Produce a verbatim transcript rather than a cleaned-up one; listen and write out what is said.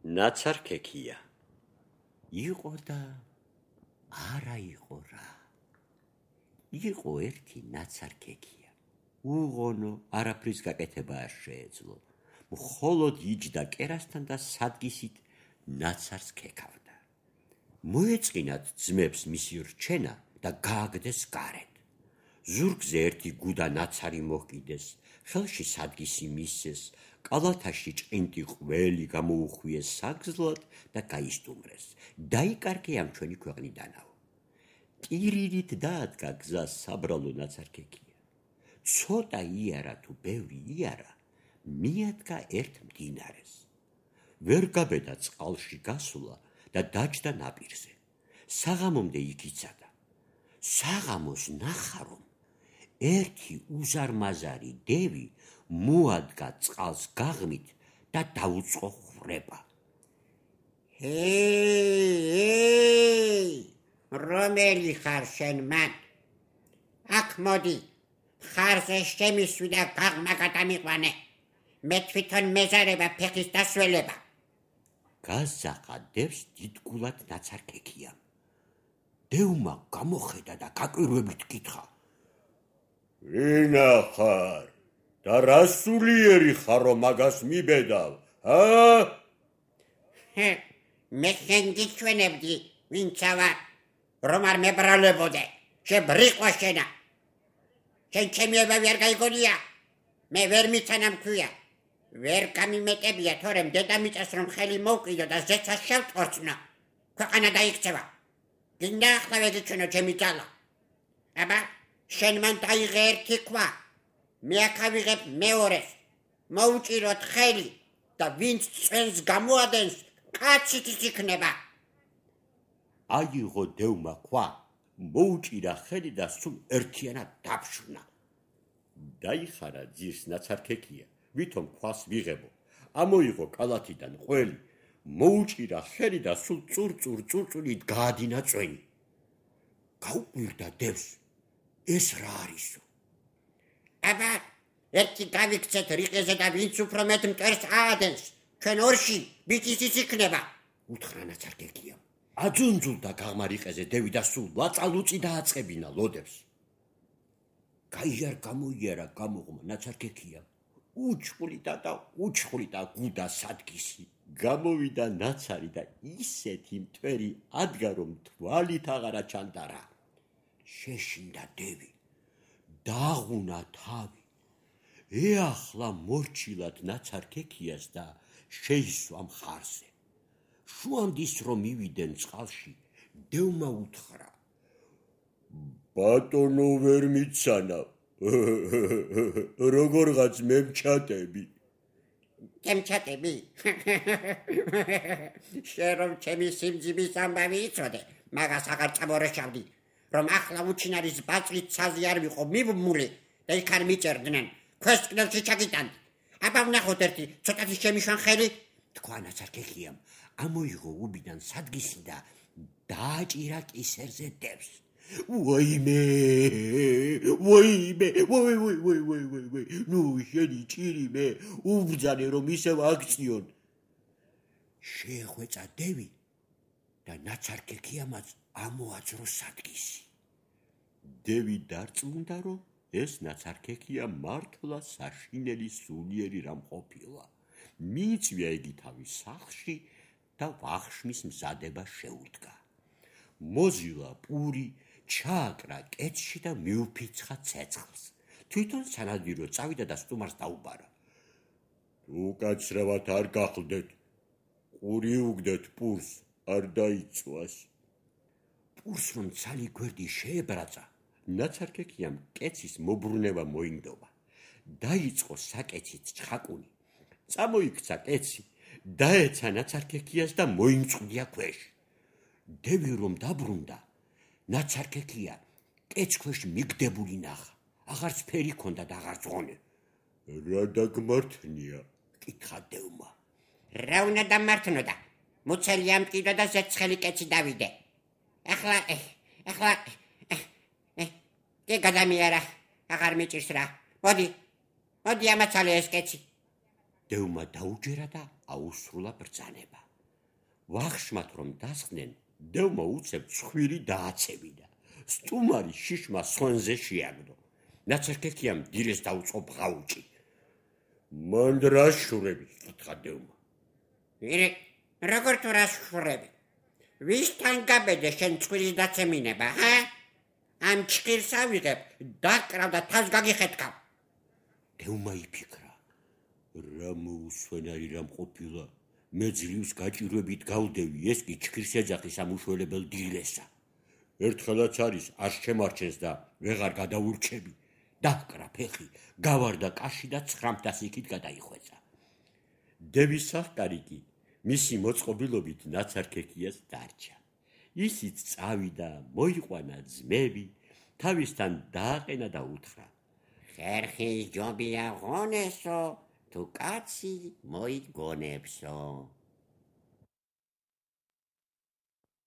ნაცარქექია. იყო და არა იყო რა. იყო ერთი ნაცარქექია. უღონო არაფრის გაკეთება არ შეეძლო. მხოლოდ იჯდა კერასთან და სადგისით ნაცარს ქექავდა. მოეწყინათ ძმებს მისი რჩენა და გააგდეს გარეთ. ზურგზე ერთი გუდა ნაცარი მოჰკიდეს, ხელში სადგისი მისცეს, კალათაში ჭყინტი ყველი გამოუხვიეს საგზლად და გაისტუმრეს. დაიკარგე ამ ჩვენი ქვეყნიდანავ. ტირირით დაადგა გზას საბრალო ნაცარქექია. ცოტა იარა თუ ბევრი იარა, მიადგა ერთ მდინარეს. ვერ გაბედა წყალში გასულა და დაჯდა ნაპირზე. საღამომდე იქ იცადა. საღამოს ნახა, რომ ერთი უზარმაზარი დევი მოადგა წყალს გაღმით და დაუწყო ხრება. ჰეი, რომელი ხარ შენ მან? აქ მოდი, ხარზე შემისვი და გაღმა გადამიყვანე. მე თვითონ მეზარება ფეხის დასველება. გაზაყა დევს დიდგულად ნაცარქექიამ. დევმა გამოხედა და გაკვირვებით კითხა. ვინა ხარ და რა სულიერი ხარ, რომ მაგას მიბედავ, ა? მე შენ გიჩვენებდი, ვინცა ვარ, რომ არ მებრალებოდე, შებრიყვა შენა. შენ ჩემი ებავი არ გაიგონია, მე ვერ მიცანამ ქვია. ვერ გამიმეტებია, თორემ დედამიწას რომ ხელი მოვკიდო და ზეცას შევტყორცნო, ქვეყანა დაიქცევა. გინდა ახლა ვეგიჩვენო ჩემი ძალა. აბა, შენ მან დაიღე ერთი ქვა, მე აქ ავიღებ მეორეს, მოვუჭიროთ ხელი და ვინც წვენს გამოადენს, კაცით იქნება. აიღო დევმა ქვა, მოუჭირა ხელი და სულ ერთიანად დაფშვნა. დაიხარა ძირს ნაცარქექია, ვითომ ქვას ვიღებო. ამოიღო კალათიდან ყველი, მოუჭირა ხელი და სულ წურწურ წურწურით გაადინა წვენი. გაუკვირდა დევს, ეს რა არისო? აბა, ერთი გავიქცეთ რიყეზე და ვინც უფრო მეტ მტერს აადენს, ჩვენ ორში ბიჭისიც იქნება. უთხრა ნაცარქექიამ. აძუნძულდა გაღმა რიყეზე დევი და სულ ლაწალუწი დააწყებინა ლოდებს. გაიარ გამოიარა გამოღმა ნაცარქექიამ. უჩხვრიდა და უჩხვრიდა გუდა სადგისი. გამოვიდა ნაცარი და ისეთი მტვერი ადგა, რომ თვალით აღარა ჩანდარა. შეშინდა დევი, დაღუნა თავი. ეახლა მორჩილად ნაცარქექიას და შეისვა მხარზე. შუამდის რომ მივიდნენ წყალში, დევმა უთხრა. ბატონო ვერ მიცანა, როგორღაც მემჩატები. გემჩატები? შენ რომ ჩემი სიმძიმის ამბავი იცოდე, მაგას აღარ წამორეშავდი, რომ ახლა უჩინარის ბაწვით ცაზე არ ვიყო მიბმული და იქ არ მიჭერდნენ, ქვესკნელში ჩაგიტანდი. აბა ვნახოთ ერთი, ცოტათი შემიშვან ხელი, თქვა ნაცარქექიამ. ამოიღო უბიდან სადგისი და დააჭირა კისერზე დევს. ვაიმე, ვაიმე, ვაი, ვაი, ვაი, ვაი, ვაი, ვაი, ნუ შენი ჭირიმე, უბრძანე რომ ისევ აქციონ. შეეხვეწა დევი და ნაცარქექიამაც ამოაძრო სადგისი. დევი დარწმუნდა, რომ ეს ნაცარქექია მართლა საშინელი სულიერი რამ ყოფილა. მიიწვია იგი თავის სახლში და ვახშმის მზადება შეუდგა. მოზილა პური, ჩააკრა კეთში და მიუფიცხა ცეცხლს. თვითონ სანადირო წავიდა და სტუმარს დაუბარა. უკაცრავად არ გახლდეთ, ყური უგდეთ პურს, არ დაიწვას. პურს რომ ცალი გვერდი შეებრაცა, ნაცარქექიამ კეცის მობრუნება მოინდობა. დაიწყო საკეცით ჩხაკუნი. წამოიქცა კეცი, დაეცა ნაცარქექიას და მოიმწყდია ქვეშ. დევი რომ დაბრუნდა, ნაცარქექია კეც ქვეშ მიგდებული ნახა. აღარც ფერი ქონდა და აღარც ღონე. რა დაგმართნია? კითხა დევმა. რა უნდა დამართნოდა? მუცელი ამტკივდა და ზეცხელი კეცი დავიდე. ახლა, ახლა, კი გადამიარა, აღარ მიჭირს რა. მოდი, მოდი ამაცალე ეს კეცი. დევმა დაუჯერა და აუსრულა ბრძანება. ვახშმათ რომ დასხდნენ, დევმა უცებ ცხვირი დააცებიდა. სტუმარი შიშმა სონზე შეაგდო. ნაცარქექიამ დილეს დაუწყო ბღაუჭი. მან რა შურები? კითხა დევმა. ირე, როგორ თუ რა შურები? ვისთან გაბედე შენ ცხვირის დაცემინება, ჰა? ამ ჭკირს ავიღებ, დაკრავ და თავს გაგიხეთქავ. დევმა იფიქრა. რა მოუსვენარი რამ ყოფილა? მე ძლივს გაჭირვებით გავდევი, ეს კი ჭკირს ეძახის ამ უშველებელ დილესა. ერთხელაც არის არ შემარჩენს და ვეღარ გადაურჩები. დაკრა ფეხი, გავარდა კაში და ცხრამთას იქით გადაიხვეწა. დევის სახკარი კი მისი მოწყობილობით ნაცარქექიას დარჩა. ისიც წავიდა, მოიყვანა ძმები, თავისთან დააყენა და უთხრა. ხერხის ჯობია ღონესო, თუ კაცი მოიგონებსო.